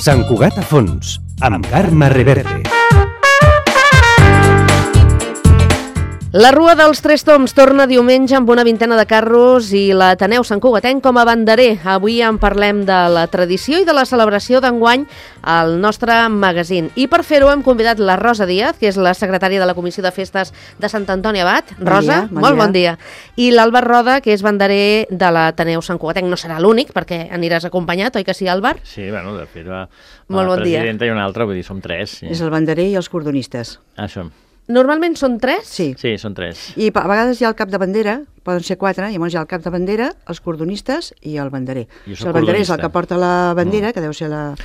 Sant Cugat a fons, amb Carme Reverte. La Rua dels Tres Toms torna diumenge amb una vintena de carros i l'Ateneu Sant Cugatenc com a banderer. Avui en parlem de la tradició i de la celebració d'enguany al nostre magazín. I per fer-ho hem convidat la Rosa Díaz, que és la secretària de la Comissió de Festes de Sant Antoni Abat. Rosa, molt bon dia. I l'Àlvar Roda, que és banderer de l'Ateneu Sant Cugatenc. No serà l'únic, perquè aniràs acompanyat, oi que sí, Àlvar? Sí, bueno, de fet, la dia. presidenta i una altra, vull dir, som tres. Sí. És el banderer i els cordonistes. Això. Normalment són tres? Sí. Sí, són tres. I a vegades hi ha el cap de bandera, poden ser quatre, llavors hi ha el cap de bandera, els cordonistes i el banderer. Jo el banderer és el que porta la bandera, que deu ser la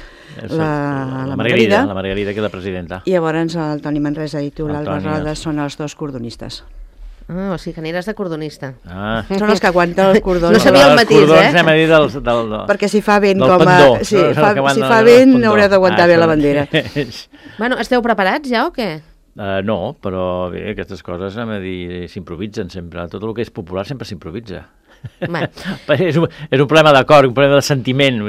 Margarida. La Margarida, que és la presidenta. I llavors el Toni Manresa i tu, l'Àlvar Roda, són els dos cordonistes. O sigui que aniràs de cordonista. Són els que aguanten els cordons. No sabia el matís, els cordons anem a dir del perquè si fa vent com a... Si fa vent haureu d'aguantar bé la bandera. Bueno, esteu preparats ja o què? No, però bé, aquestes coses, anem a dir, s'improvisen sempre. Tot el que és popular sempre s'improvisa. És un problema de cor, un problema de sentiment,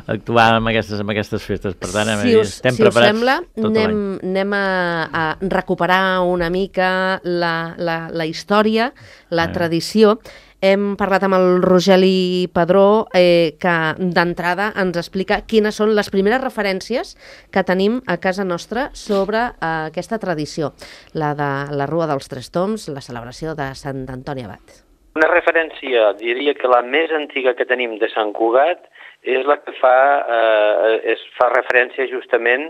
actuar amb aquestes festes. Per tant, estem preparats sembla, tot l'any. Anem a recuperar una mica la història, la tradició. Hem parlat amb el Rogeli Padró, que d'entrada ens explica quines són les primeres referències que tenim a casa nostra sobre aquesta tradició, la de la Rua dels Tres Toms, la celebració de Sant Antoni Abat. Una referència, diria que la més antiga que tenim de Sant Cugat és la que fa referència justament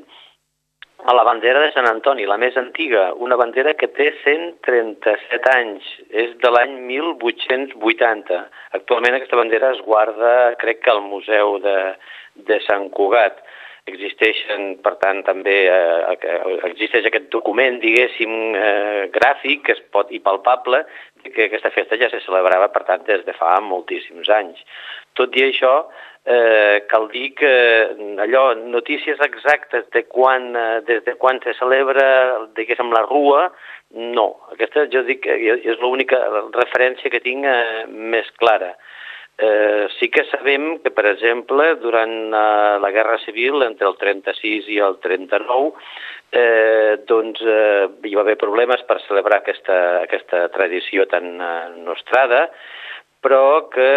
a la bandera de Sant Antoni, la més antiga, una bandera que té 137 anys, és de l'any 1880. Actualment aquesta bandera es guarda, crec que al Museu de Sant Cugat. Existeixen, per tant, també existeix aquest document, diguéssim, gràfic que es pot i palpable, que aquesta festa ja se celebrava, per tant, des de fa moltíssims anys. Tot i això, cal dir que notícies exactes de des de quan se celebra, diguéssim, la Rua, no. Aquesta, jo dic, és l'única referència que tinc més clara. Sí que sabem que, per exemple, durant la Guerra Civil, entre el 36 i el 39, doncs hi va haver problemes per celebrar aquesta tradició tan nostrada, però que,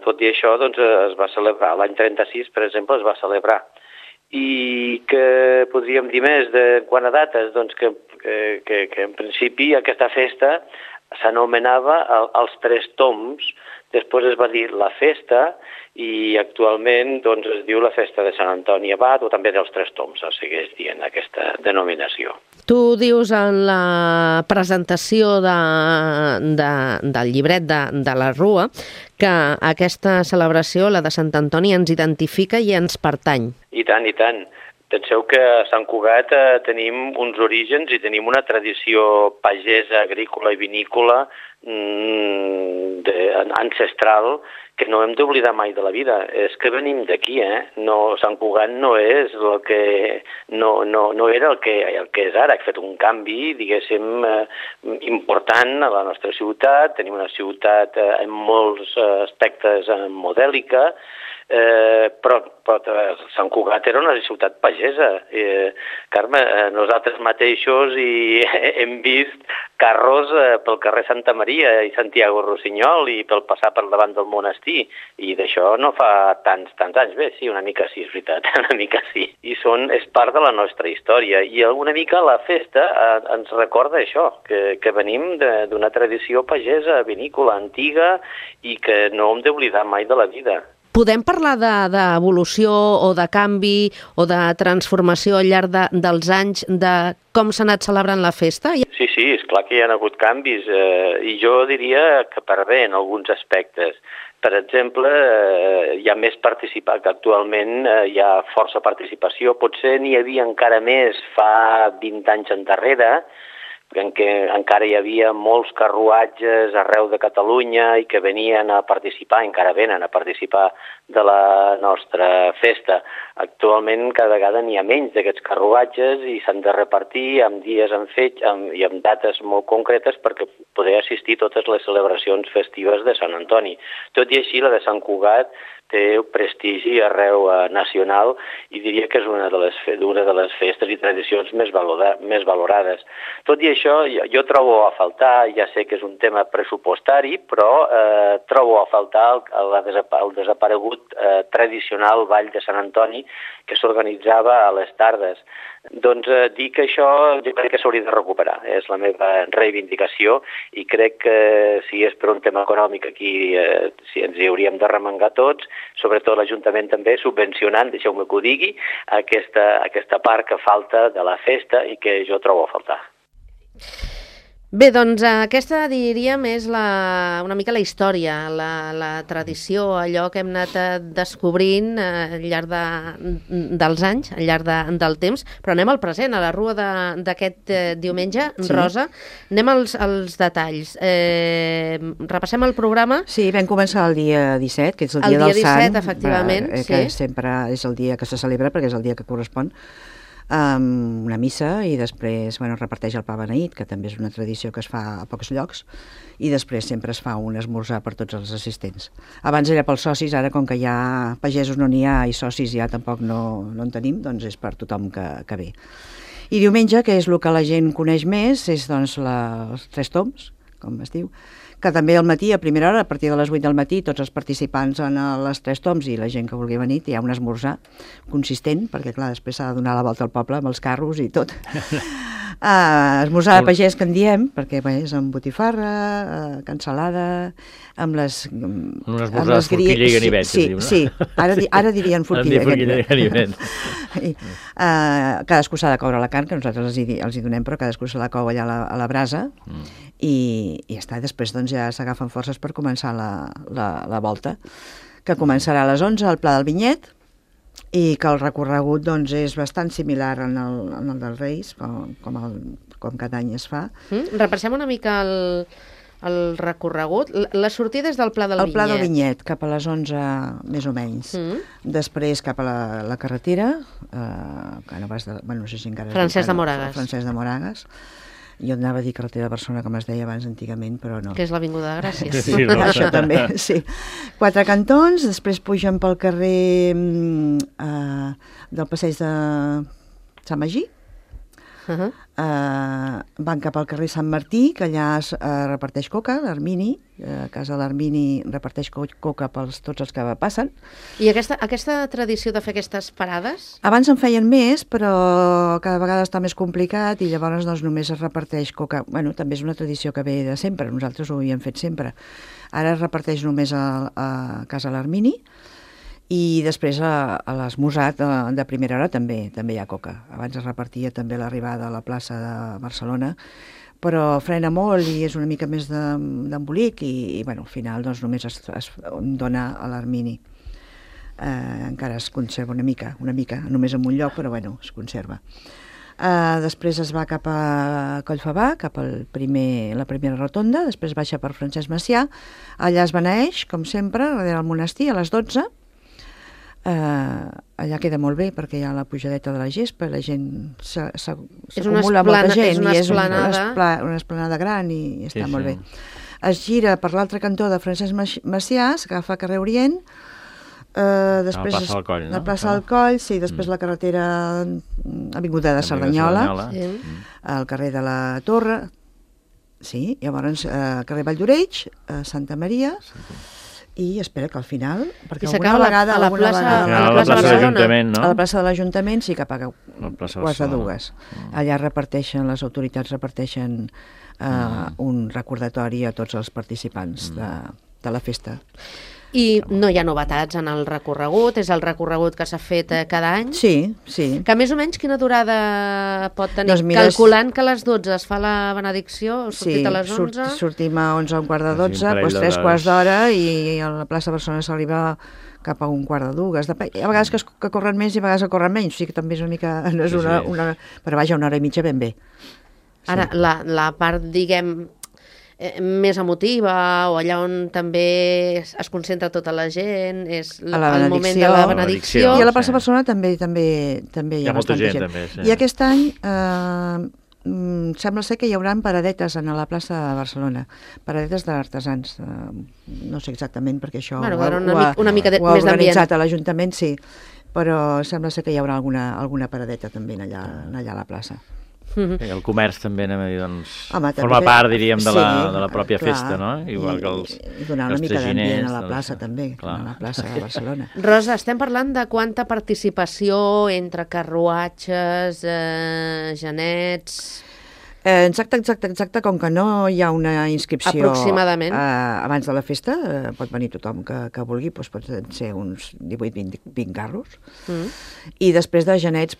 tot i això, doncs, es va celebrar. L'any 36, per exemple, es va celebrar. I que podríem dir més de quant a dates, doncs que en principi aquesta festa s'anomenava els Tres Toms, després es va dir la festa i actualment doncs, es diu la festa de Sant Antoni Abat o també dels Tres Toms, es segueix dient aquesta denominació. Tu dius en la presentació del llibret de la Rua que aquesta celebració, la de Sant Antoni, ens identifica i ens pertany. I tant, i tant. Penseu que a Sant Cugat tenim uns orígens i tenim una tradició pagesa, agrícola i vinícola ancestral que no hem d'oblidar mai de la vida. És que venim d'aquí, No, Sant Cugat no és el que... No era el que és ara. Ha fet un canvi, diguéssim, important a la nostra ciutat. Tenim una ciutat en molts aspectes modèlica, però Sant Cugat era una ciutat pagesa. Carme, nosaltres mateixos hem vist carros pel carrer Santa Maria i Santiago Rossinyol i pel passar per davant del monestir, i d'això no fa tants anys. Bé, sí, una mica sí, és veritat, una mica sí. I és part de la nostra història, i alguna mica la festa ens recorda això, que venim d'una tradició pagesa, vinícola, antiga, i que no hem d'oblidar mai de la vida. Podem parlar d'evolució o de canvi o de transformació al llarg dels anys de com s'ha anat celebrant la festa? Sí, és clar que hi ha hagut canvis i jo diria que per bé en alguns aspectes. Per exemple, hi ha més participació, que actualment hi ha força participació, potser n'hi havia encara més fa 20 anys endarrere, en què encara hi havia molts carruatges arreu de Catalunya i que venien a participar, encara venen a participar de la nostra festa. Actualment cada vegada n'hi ha menys d'aquests carruatges i s'han de repartir amb dies i amb dates molt concretes perquè poder assistir a totes les celebracions festives de Sant Antoni. Tot i així, la de Sant Cugat té prestigi arreu nacional i diria que és una de les festes i tradicions més valorades. Tot i això, jo trobo a faltar, ja sé que és un tema pressupostari, però trobo a faltar el desaparegut tradicional Ball de Sant Antoni que s'organitzava a les tardes. Doncs dir que això jo crec que s'hauria de recuperar, és la meva reivindicació i crec que si és per un tema econòmic aquí si ens hi hauríem de remengar tots, sobretot l'Ajuntament també subvencionant, deixeu-me que ho digui, aquesta part que falta de la festa i que jo trobo a faltar. Bé, doncs aquesta diríem és una mica la història, la tradició, allò que hem anat descobrint al llarg dels anys, al llarg del temps, però anem al present, a la rua d'aquest diumenge. Sí. Rosa, anem als detalls. Repassem el programa. Sí, vam començar el dia 17, que és el dia del Sant. El dia 17, efectivament. Que sempre és el dia que se celebra perquè és el dia que correspon. Una missa i després reparteix el pa beneït, que també és una tradició que es fa a pocs llocs, i després sempre es fa un esmorzar per tots els assistents. Abans era pels socis, ara com que ja pagesos no n'hi ha i socis ja tampoc no en tenim, doncs és per tothom que ve. I diumenge, que és el que la gent coneix més, és doncs els Tres Tombs, com es diu, que també al matí, a primera hora, a partir de les 8 del matí, tots els participants en les Tres Tombs i la gent que vulgui venir, hi ha un esmorzar consistent, perquè clar, després s'ha de donar la volta al poble amb els carros i tot. Esmorzar de pagès que en diem, perquè és amb botifarra, cansalada, amb les... Un esmorzar de forquilla i ganivet. Sí, ara dirien forquilla i ganivet. Cadascú s'ha de coure la carn, que nosaltres els hi donem, però cadascú se la cou allà a la brasa, i ja està, després doncs ja s'agafen forces per començar la volta, que començarà a les 11 al Pla del Vinyet, i que el recorregut doncs és bastant similar en el dels Reis, com cada any es fa. Repassem una mica el recorregut. La sortida és del Pla del Vinyet. El Pla del Vinyet, cap a les 11 més o menys. Després cap a la carretera, que no vas no sé si encara... Francesc de Moragas. Francesc de Moragas. Jo anava a dir carretera de Barcelona, com es deia abans antigament, però no. Que és l'Avinguda de Gràcia. Sí, això també, sí. 4 cantons, després pugen pel carrer del passeig de Sant Magí, van cap al carrer Sant Martí, que allà es reparteix coca, l'Armini, a casa l'Armini reparteix coca per tots els que passen. I aquesta tradició de fer aquestes parades? Abans en feien més, però cada vegada està més complicat i llavors doncs, només es reparteix coca. Bueno, també és una tradició que ve de sempre, nosaltres ho havíem fet sempre. Ara es reparteix només a casa l'Armini, i després a l'esmorzar de primera hora també hi ha coca. Abans es repartia també l'arribada a la plaça de Barcelona, però frena molt i és una mica més d'embolic i al final doncs, només es dona a l'Armini. Encara es conserva una mica, només en un lloc, però es conserva. Després es va cap a Collfabà, cap a la primera rotonda, després baixa per Francesc Macià, allà es beneeix, com sempre, darrere el monestir, a les 12. Allà queda molt bé perquè hi ha la pujadeta de la gespa, la gent s'acumula molta gent i és una esplanada gran i està molt bé. Es gira per l'altre cantó de Francesc Macià, s'agafa carrer Orient, després la plaça del Coll, no? La plaça del Coll, sí, després la carretera Avinguda de Cerdanyola, al carrer de la Torre, sí, llavors carrer Valldoreix, Santa Maria, i espera que al final, perquè alguna vegada... A la plaça de l'Ajuntament, no? A la plaça de l'Ajuntament, sí, cap a quarts de dues. Allà les autoritats reparteixen un recordatori a tots els participants de la festa. I no hi ha novetats en el recorregut, és el recorregut que s'ha fet cada any? Sí. Que més o menys quina durada pot tenir? Doncs calculant que a les 12 es fa la benedicció, sortit a les 11? Sí, sortim a 11 a un quart de 12, doncs 3 quarts d'hora i a la plaça Barcelona s'arriba cap a un quart de dues. Hi ha vegades que corren més i a vegades que corren menys, o sigui que també és una mica... Però vaja, una hora i mitja ben bé. Ara, la part, diguem, més emotiva, o allà on també es concentra tota la gent, és el moment de la benedicció. I a la plaça Barcelona també hi ha molta bastanta gent. gent. També, sí. I aquest any sembla ser que hi haurà paradetes a la plaça de Barcelona, paradetes d'artesans. No sé exactament perquè això una mica ho ha més d'ambient. organitzat a l'Ajuntament, sí, però sembla ser que hi haurà alguna paradeta també allà a la plaça. I el comerç també, anem a dir, doncs, Home, forma part, diríem, de la sí, pròpia clar, festa, no? Igual que els I donar una mica d'ambient a la plaça doncs, també, clar. a la plaça de Barcelona. Rosa, estem parlant de quanta participació entre carruatges, genets... Exacte, com que no hi ha una inscripció Aproximadament. Abans de la festa, pot venir tothom que vulgui, doncs pot ser uns 18-20 carros, i després de genets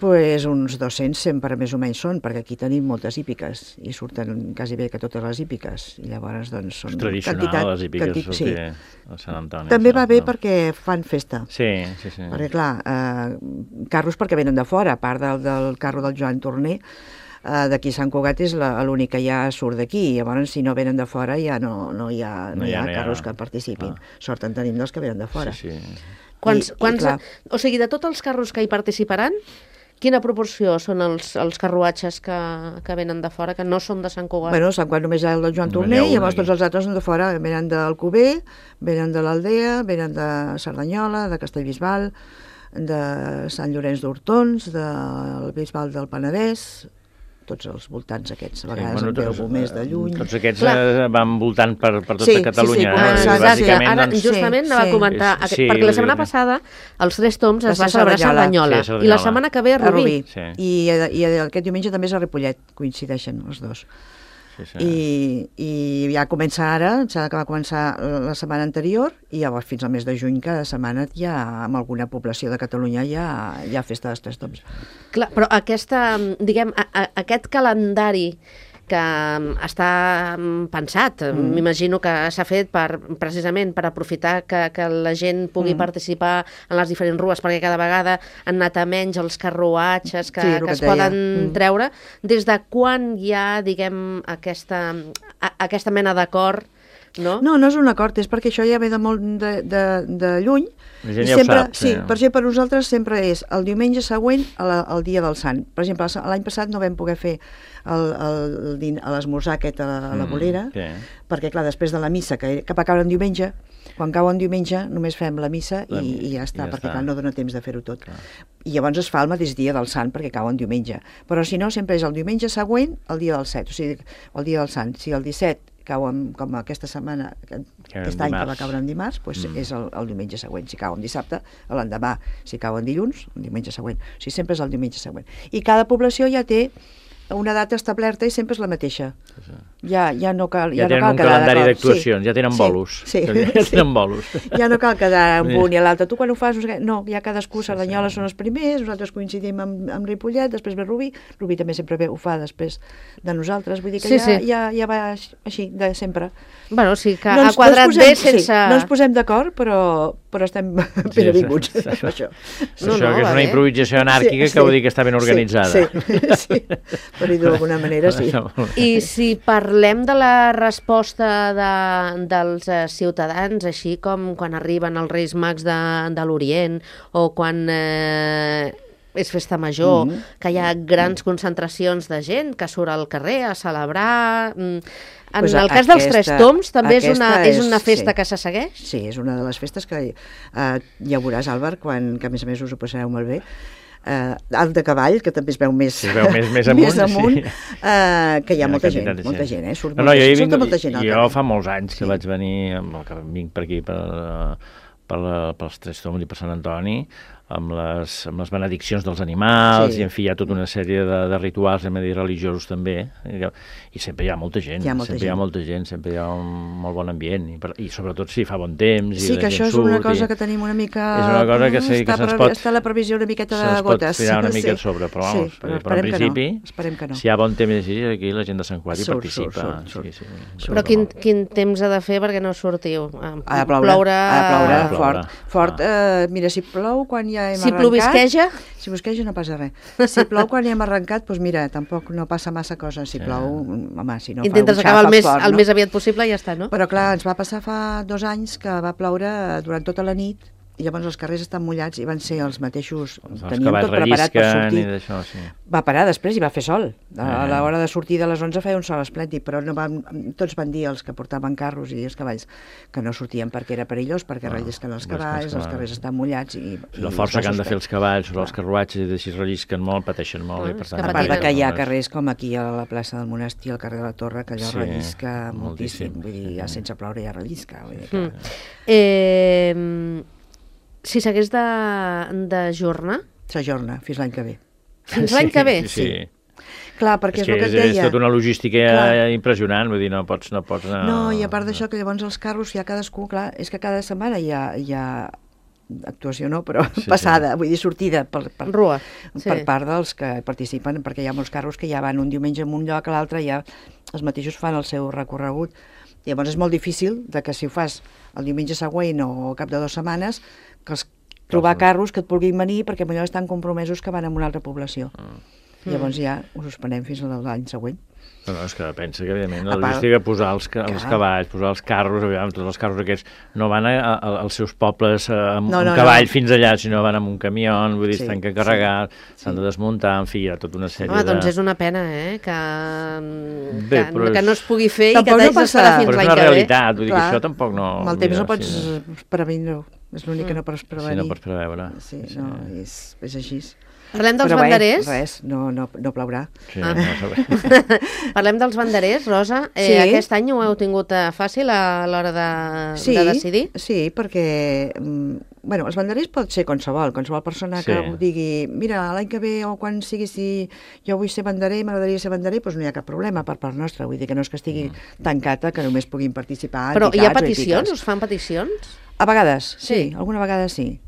uns 200 sempre més o menys són, perquè aquí tenim moltes hípiques, i surten quasi bé que totes les hípiques, i llavors doncs són... És tradicional, les hípiques, sortir a Sant Antoni. També va bé perquè fan festa. Sí. Perquè clar, carros perquè venen de fora, a part del carro del Joan Torner, d'aquí Sant Cugat és l'únic que ja surt d'aquí, llavors si no venen de fora ja no hi ha carros que participin. Sort en tenim dels que venen de fora. Sí. O sigui, de tots els carros que hi participaran, quina proporció són els carruatges que venen de fora, que no són de Sant Cugat? Bueno, Sant Cugat només hi ha el del Joan Torner, i llavors tots els altres són de fora, venen d'Alcover, venen de l'Aldea, venen de Cerdanyola, de Castellbisbal, de Sant Llorenç d'Hortons, del Bisbal del Penedès, tots els voltants aquests, a vegades en veu més de lluny. Tots aquests van voltant per tota Catalunya. Sí. Ara justament anava a comentar, perquè la setmana passada els Tres Tombs es va celebrar a Cerdanyola, i la setmana que ve a Rubí. I aquest diumenge també és a Ripollet, coincideixen els dos. I ja comença ara, va començar la setmana anterior, i llavors fins al mes de juny cada setmana ja amb alguna població de Catalunya hi ha festa dels Tres Tombs. Clar, però aquest calendari que està pensat, m'imagino que s'ha fet precisament per aprofitar que la gent pugui participar en les diferents rues, perquè cada vegada han anat a menys els carruatges que es poden treure. Des de quan hi ha, diguem, aquesta mena d'acord? No, és un acord, és perquè això ja ve de molt de lluny. La gent ja ho sap. Sí, per exemple, per nosaltres sempre és el diumenge següent al dia del Sant. Per exemple, l'any passat no vam poder fer l'esmorzar aquest a la Bolera, perquè, clar, després de la missa, que va caure en diumenge, quan cau en diumenge només fem la missa i ja està, perquè clar, no dona temps de fer-ho tot. I llavors es fa el mateix dia del Sant, perquè cau en diumenge. Però si no, sempre és el diumenge següent al dia del 7, o sigui, el dia del Sant. Si el 17 cau com aquesta setmana, aquest any que va caure en dimarts, és el diumenge següent. Si cau en dissabte, l'endemà. Si cau en dilluns, el diumenge següent. O sigui, sempre és el diumenge següent. I cada població ja té una data establerta i sempre és la mateixa. Ja no cal ja tenen un calendari d'actuacions, ja tenen bolos. Ja no cal quedar amb un i l'altre. Tu quan ho fas, no, ja cadascú, Cerdanyola són els primers, nosaltres coincidim amb Ripollet, després ve Rubí també sempre ho fa després de nosaltres, vull dir que ja va així, de sempre. Bueno, sí, que ha quadrat bé sense... No ens posem d'acord, però estem ben avinguts. Això que és una improvisació anàrquica que vol dir que està ben organitzada. Sí. Per dir d'alguna manera, sí. I si parlem de la resposta dels ciutadans, així com quan arriben els Reis Mags de l'Orient, o quan és festa major, que hi ha grans concentracions de gent que surt al carrer a celebrar... En el cas dels Tres Tombs també és una festa que se segueix? Sí, és una de les festes que ja veuràs, Àlvar, que a més a més us ho passareu molt bé, alt de cavall, que també es veu més amunt, que hi ha molta gent, surt molta gent. Jo fa molts anys que vaig venir, vinc per aquí, pels Tres Tombs i per Sant Antoni, amb les benediccions dels animals, i en fi, hi ha tota una sèrie de rituals, religiosos també, i sempre hi ha molta gent, sempre hi ha un molt bon ambient, i sobretot si fa bon temps. Sí, que això és una cosa que tenim una mica... És una cosa que se'ns pot... Està la previsió una miqueta de gotes. Se'ns pot tirar una mica sobre, però en principi, si hi ha bon temps així, aquí la gent de Sant Cugat hi participa. Però quin temps ha de fer perquè no sortiu? Ha de ploure fort. Mira, si plou quan ja hem arrencat... Si plovisqueja? Si plovisqueja no passa res. Si plou quan ja hem arrencat, doncs mira, tampoc no passa massa cosa. Si plou, home, si no intentes acabar el més aviat possible i ja està, no? Però clar, ens va passar fa 2 anys que va ploure durant tota la nit i llavors els carrers estan mullats i van ser els mateixos... Teníem tot preparat per sortir. Va parar després i va fer sol. A l'hora de sortir de les 11 feia un sol esplèndid, però tots van dir, els que portaven carros i els cavalls, que no sortien perquè era perillós, perquè rellisquen els cavalls, els carrers estan mullats i la força que han de fer els cavalls sobre els carruatges i si rellisquen molt, pateixen molt. A part que hi ha carrers com aquí a la plaça del Monestir, al carrer de la Torre, que allò rellisca moltíssim. Vull dir, ja sense ploure ja rellisca. Si s'hagués d'ajornar? S'ajorna, fins l'any que ve. Fins l'any que ve? Sí. Clar, perquè és el que et deia. És tota una logística impressionant, vull dir, no pots anar... No, i a part d'això, que llavors els carros, ja cadascú, clar, és que cada setmana hi ha actuació no, però passada, vull dir, sortida per part dels que participen, perquè hi ha molts carros que ja van un diumenge en un lloc, a l'altre ja els mateixos fan el seu recorregut. Llavors és molt difícil que si ho fas el diumenge següent o al cap de 2 setmanes, trobar carros que et vulguin venir perquè potser estan compromesos que van a una altra població. Llavors ja ho suspenem fins a l'any següent. No, és que pensa que, evidentment, la logística, posar els cavalls, posar els carros, tots els carros aquests, no van als seus pobles amb un cavall fins allà, sinó van amb un camió, vull dir, estan que carregar, s'han de desmuntar, en fi, hi ha tota una sèrie de... doncs és una pena, que no es pugui fer i que t'hagis d'esperar fins l'any que ve. Però és una realitat, vull dir que això tampoc no... Amb el temps no pots prevenir, és l'únic que no pots prevenir. Sí, no pots preveure. Sí, és així. Parlem dels banderers? Res, no plaurà. Parlem dels banderers, Rosa. Aquest any ho heu tingut fàcil a l'hora de decidir? Sí, perquè els banderers pot ser qualsevol persona que ho digui, mira, l'any que ve o quan sigui, si jo vull ser banderer, m'agradaria ser banderer, doncs no hi ha cap problema per part nostra, vull dir que no és que estigui tancada, que només puguin participar entitats. Però hi ha peticions? Us fan peticions? A vegades, sí, alguna vegada sí.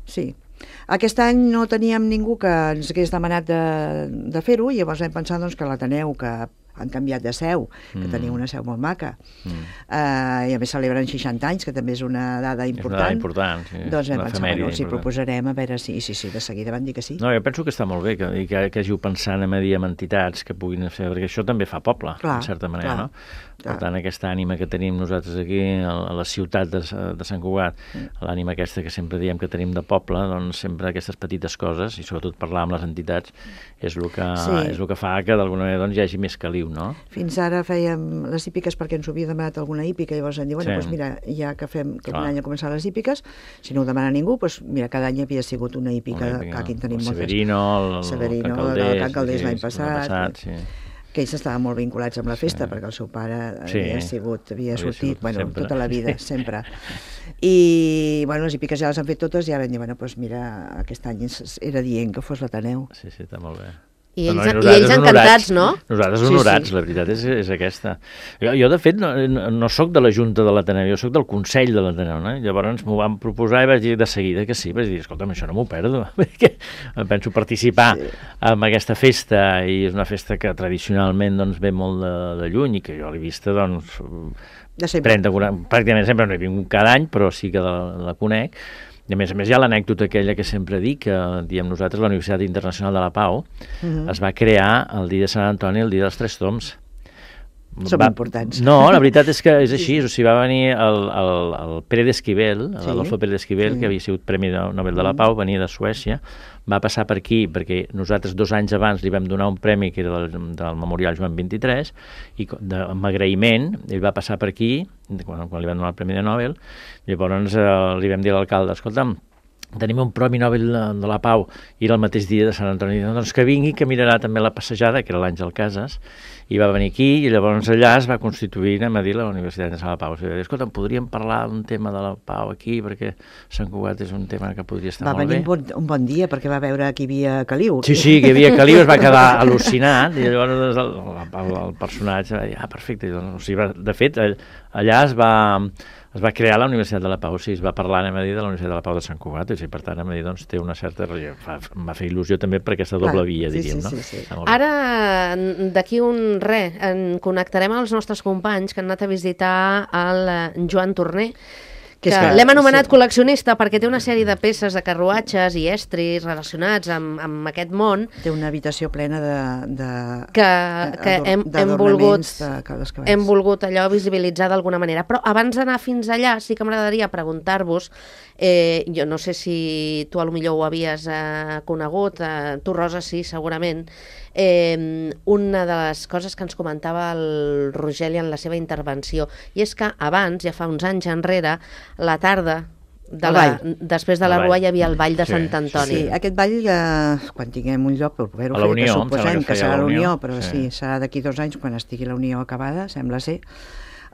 Aquest any no teníem ningú que ens hagués demanat de fer-ho, i llavors vam pensar que l'Ateneu, que han canviat de seu, que tenia una seu molt maca, i a més celebren 60 anys, que també és una dada important. És una dada important, sí. Doncs vam pensar, els hi proposarem, a veure si de seguida van dir que sí. No, jo penso que està molt bé que hàgiu pensat en entitats que puguin fer, perquè això també fa poble, en certa manera, no? Per tant, aquesta ànima que tenim nosaltres aquí a la ciutat de Sant Cugat, l'ànima aquesta que sempre diem que tenim de poble, doncs sempre aquestes petites coses, i sobretot parlar amb les entitats, és el que fa que d'alguna manera hi hagi més caliu, no? Fins ara fèiem les hípiques perquè ens ho havia demanat alguna hípica, i llavors em diu, doncs mira, ja que fem aquest any a començar les hípiques, si no ho demana ningú, doncs mira, cada any havia sigut una hípica, que aquí en tenim moltes. El Severino, el Can Calders l'any passat, que ells estaven molt vinculats amb la festa, perquè el seu pare havia sortit, tota la vida, sempre. I, les hípiques ja les han fet totes, i ara vam dir, doncs mira, aquest any era dient que fos l'Ateneu. Sí, està molt bé. I ells encantats, no? Nosaltres honorats, la veritat és aquesta. Jo, de fet, no sóc de la Junta de l'Ateneu, jo sóc del Consell de l'Ateneu, no? Llavors m'ho van proposar i vaig dir de seguida que sí, vaig dir, escolta'm, això no m'ho perdo, perquè penso participar en aquesta festa, i és una festa que tradicionalment ve molt de lluny, i que jo l'he vista, 30, 40, pràcticament sempre no he vingut cada any, però sí que la conec. I a més hi ha l'anècdota aquella que sempre dic, que diem nosaltres, la Universitat Internacional de la Pau es va crear el dia de Sant Antoni, el dia dels Tres Tombs. Som importants. No, la veritat és que és així, o sigui, va venir el Pere d'Esquivel, l'Adolfo Pere d'Esquivel, que havia sigut Premi Nobel de la Pau, venia de Suècia, va passar per aquí perquè nosaltres 2 anys abans li vam donar un premi que era del Memorial Joan 23, i amb agraïment ell va passar per aquí quan li vam donar el Premi de Nobel. Llavors li vam dir a l'alcalde, escolta'm, tenim un Premi Nobel de la Pau, i era el mateix dia de Sant Antoni, doncs que vingui, que mirarà també la passejada, que era l'Àngel Casas, i va venir aquí, i llavors allà es va constituir, anem a dir, la Universitat de la Pau. O sigui, escolta'm, podríem parlar d'un tema de la Pau aquí, perquè Sant Cugat és un tema que podria estar molt bé. Va venir un bon dia, perquè va veure que hi havia caliu. Sí, que hi havia caliu, es va quedar al·lucinat, i llavors el personatge va dir, perfecte. O sigui, de fet, allà es va crear la Universitat de la Pau, es va parlar, anem a dir, de la Universitat de la Pau de Sant Cugat, i per tant, anem a dir, té una certa... Em va fer il·lusió també per aquesta doble via, diríem, no? Ara, d'aquí en connectarem als nostres companys que han anat a visitar el Joan Torner, L'hem anomenat col·leccionista perquè té una sèrie de peces de carruatges i estris relacionats amb aquest món. Té una habitació plena que hem volgut allò visibilitzar d'alguna manera. Però abans d'anar fins allà sí que m'agradaria preguntar-vos, jo no sé si tu potser ho havies conegut, tu Rosa sí, segurament, una de les coses que ens comentava el Rogeli en la seva intervenció, i és que abans, ja fa uns anys enrere, la tarda, després de la Rua hi havia el ball de Sant Antoni. Sí, aquest ball, quan tinguem un lloc per poder-ho fer, que suposem que serà la Unió, però sí, serà d'aquí 2 anys, quan estigui la Unió acabada, sembla ser,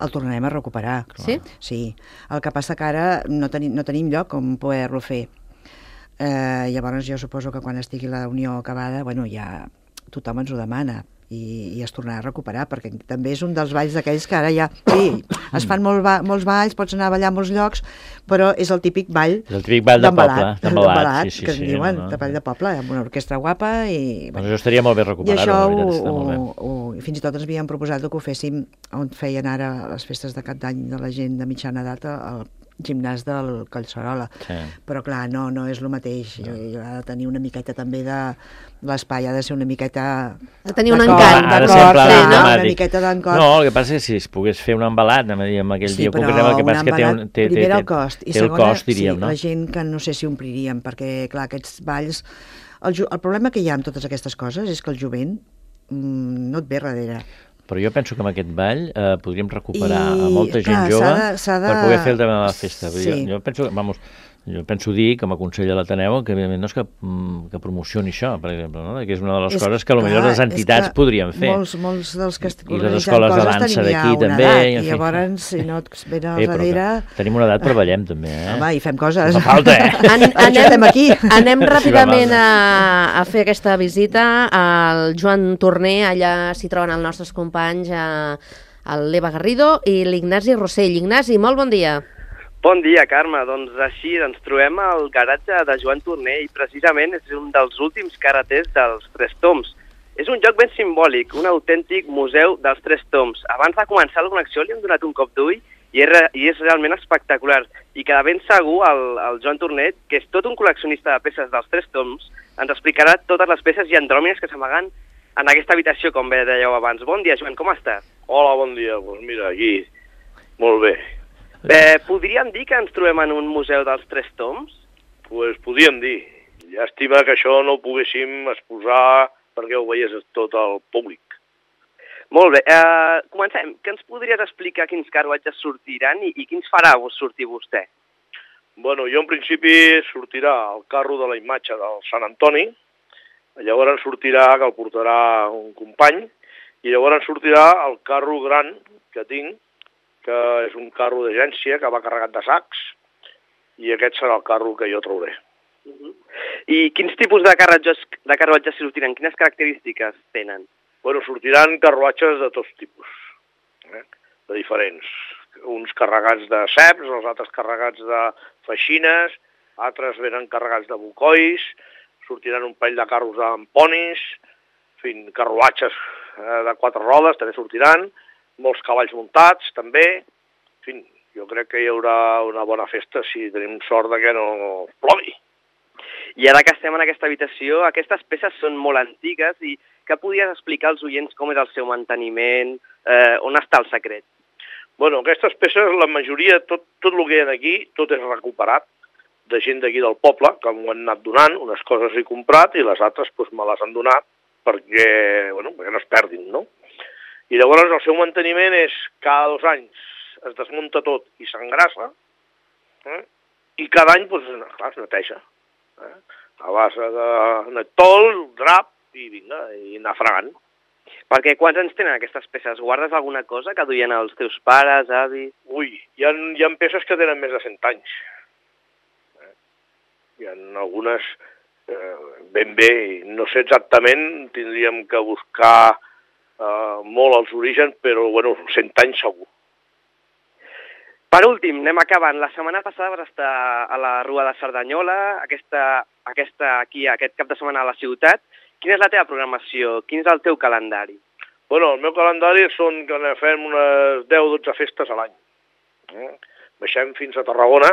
el tornarem a recuperar. Sí? Sí. El que passa que ara no tenim lloc on poder-lo fer. Llavors jo suposo que quan estigui la Unió acabada, ja tothom ens ho demana i es tornarà a recuperar, perquè també és un dels balls d'aquells que ara ja... Sí, es fan molts balls, pots anar a ballar a molts llocs, però és el típic ball d'embalat, que en diuen, de ball de poble, amb una orquestra guapa i... Doncs això estaria molt bé recuperar-ho. I això, fins i tot ens havíem proposat que ho féssim on feien ara les festes de cap d'any de la gent de mitjana edat, al gimnàs del Collserola, però clar, no és el mateix, ha de tenir una miqueta també de l'espai, ha de ser una miqueta de tenir un encant, una miqueta d'encort. No, el que passa és que si es pogués fer un embalat amb aquell dia concret, el que passa és que té el cost, i segona, la gent que no sé si ompliríem, perquè clar, aquests balls, el problema que hi ha amb totes aquestes coses és que el jovent no et ve darrere. Però jo penso que amb aquest ball podríem recuperar a molta gent jove per poder fer el tema de la festa. Jo penso dir, com a consell de l'Ateneu, que evidentment no és que promocioni això, per exemple, no? Que és una de les coses que potser les entitats podrien fer. Molts dels que i les escoles de dansa d'aquí també. I llavors, si no et ven al darrere... Tenim una edat, però ballem també, Home, i fem coses. No fa falta, Estem aquí. Anem ràpidament a fer aquesta visita al Joan Torner, allà s'hi troben els nostres companys, l'Eva Garrido i l'Ignasi Rossell. Ignasi, molt bon dia. Bon dia, Carme. Doncs així ens trobem al garatge de Joan Torner i precisament és un dels últims karatès dels Tres Tombs. És un lloc ben simbòlic, un autèntic museu dels Tres Tombs. Abans de començar la connexió li hem donat un cop d'ull i és realment espectacular. I que de ben segur el Joan Torner, que és tot un col·leccionista de peces dels Tres Tombs, ens explicarà totes les peces i andròmines que s'amaguen en aquesta habitació, com bé dèieu abans. Bon dia, Joan, com estàs? Hola, bon dia. Doncs mira, aquí, molt bé. Podríem dir que ens trobem en un museu dels Tres Tombs? Doncs podríem dir. Llàstima que això no ho poguéssim exposar perquè ho veiés tot el públic. Molt bé. Comencem. Què ens podries explicar quins carruatges sortiran i quins farà sortir vostè? Bueno, jo en principi sortirà el carro de la imatge del Sant Antoni, llavors sortirà, que el portarà un company, i llavors sortirà el carro gran que tinc, que és un carro d'agència que va carregat de sacs, i aquest serà el carro que jo trauré. I quins tipus de carruatges sortiran? Quines característiques tenen? Bueno, sortiran carruatges de tots tipus, de diferents. Uns carregats de ceps, els altres carregats de feixines, altres venen carregats de bocois, sortiran un parell de carros amb ponis, en fi, carruatges de 4 rodes també sortiran, molts cavalls muntats, també. En fi, jo crec que hi haurà una bona festa si tenim sort de que no plogui. I ara que estem en aquesta habitació, aquestes peces són molt antigues i què podries explicar als oients com és el seu manteniment, on està el secret? Bueno, aquestes peces, la majoria, tot el que hi ha aquí, tot és recuperat de gent d'aquí del poble, que m'ho han anat donant, unes coses he comprat i les altres me les han donat perquè no es perdin, no? I llavors el seu manteniment és cada 2 anys es desmunta tot i s'engrassa, i cada any es neteja. A base de netol, drap i vinga, i anar fregant. Perquè quants anys tenen aquestes peces? Guardes alguna cosa que duien els teus pares, avis? Ui, hi ha peces que tenen més de 100 anys. Hi ha algunes ben bé, no sé exactament, tindríem que buscar molt als orígens, però 100 anys segur. Per últim, anem acabant. La setmana passada vas estar a la Rua de Cerdanyola, aquest cap de setmana a la ciutat. Quina és la teva programació? Quin és el teu calendari? Bueno, el meu calendari són que fem unes 10-12 festes a l'any. baixem fins a Tarragona.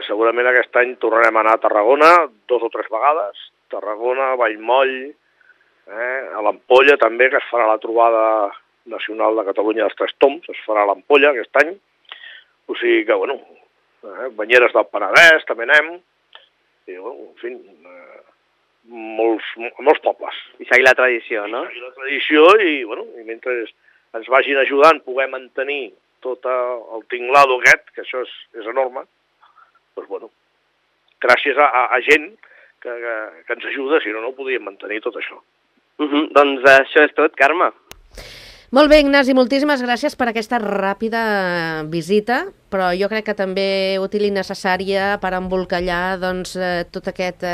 Segurament aquest any tornarem a anar a Tarragona 2 o 3 vegades. Tarragona, Vallmoll, a l'Ampolla també, que es farà la trobada nacional de Catalunya dels Tres Tombs, es farà a l'Ampolla aquest any. O sigui que, bueno, Banyeres del Penedès també anem. I, bueno, en fi, molts pobles. I seguir la tradició, no? Seguir la tradició i, bueno, i mentre ens vagin ajudant, poder mantenir tot el tinglado aquest, que això és enorme, doncs, bueno, gràcies a gent que ens ajuda, si no, no ho podíem mantenir tot això. Doncs això és tot, Carme. Molt bé, Ignasi, moltíssimes gràcies per aquesta ràpida visita, però jo crec que també útil i necessària per embolcallar doncs, tot aquest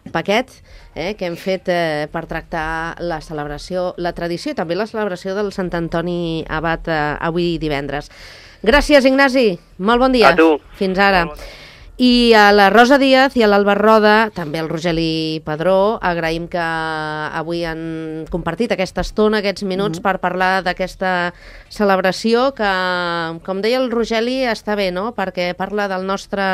paquet que hem fet per tractar la celebració, la tradició i també la celebració del Sant Antoni Abat avui divendres. Gràcies, Ignasi. Molt bon dia. A tu. Fins ara. I a la Rosa Díaz i a l'Alba Roda, també al Rogeli Padró, agraïm que avui han compartit aquesta estona, aquests minuts per parlar d'aquesta celebració que, com deia el Rogeli, està bé, no? Perquè parla del nostre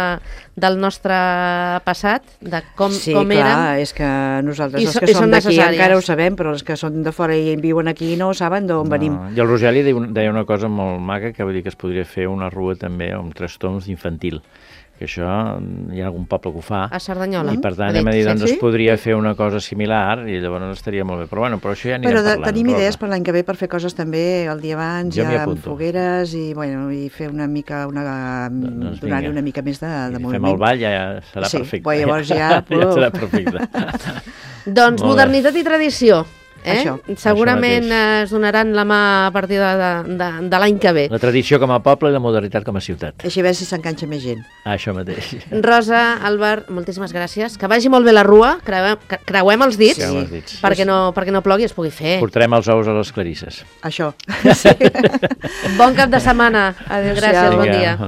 passat, de com érem. Sí, clar, és que nosaltres els que som d'aquí encara ho sabem, però els que són de fora i viuen aquí no saben d'on venim. I el Rogeli deia una cosa molt maca, que vull dir que es podria fer una rua també amb 3 toms infantil, que això hi ha algun poble que ho fa. A Cerdanyola. I per tant hem de dir, doncs es podria fer una cosa similar i llavors estaria molt bé. Però bueno, això ja anirem parlant. Però tenim idees per l'any que ve per fer coses també el dia abans, ja amb fogueres i fer una mica, donar-hi una mica més de moviment. Fem el ball, ja serà perfecte. Sí, llavors ja serà perfecte. Doncs modernitat i tradició. Això. Segurament es donaran la mà a partir de l'any que ve. La tradició com a poble i la modernitat com a ciutat. Així a veure si s'enganxa més gent. Això mateix. Rosa, Albert, moltíssimes gràcies. Que vagi molt bé la rua, creuem els dits, perquè no plogui i es pugui fer. Portarem els ous a les clarisses. Això. Bon cap de setmana. Adéu, gràcies, bon dia.